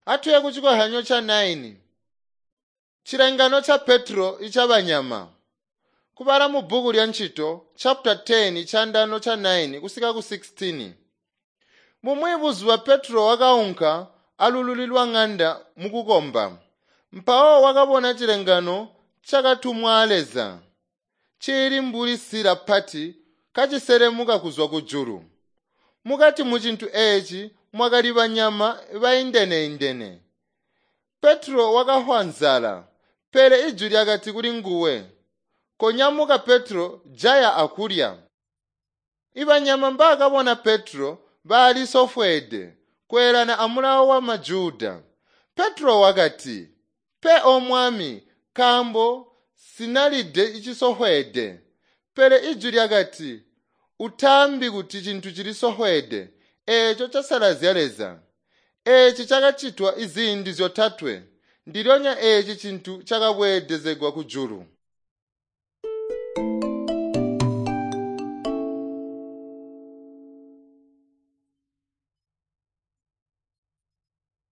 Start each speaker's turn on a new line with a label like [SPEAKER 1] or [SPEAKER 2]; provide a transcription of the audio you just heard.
[SPEAKER 1] Atuye kuchikohyanyo cha 9. Chilengano cha Petro ichabanyama. Kubala mu bhuku lya ntchito chapter 10 chandano cha 9 kusika ku 16. Mumwi buzuba Petro wakaunka alululi lwa ng'anda mukukomba. Mpawo wakabona chilengano chakatumwa a Leza. Chili mbuli sila pati kachiselemuka kuzwa kujulu. Mukati mu chintu echi mwakali banyama baindene-indene. Petro wakahwa nzala, pele ijwi lyakati kuli nguwe, "Konyamuka Petro, jaya akulya." Ibanyama mbakabona Petro bali sofweede kweelana amulawo wa Majuda. Petro wakati, "Pe o Mwami, nkaambo sinalide icisofweede." Pele ijwi lyakati, "Utaambi kuti cintu cili sofweede, eeco casalazya Leza." Eeci cakacitwa iziindi zyotatwe, ndilyonya eeci cintu cakabweedezegwa kujulu.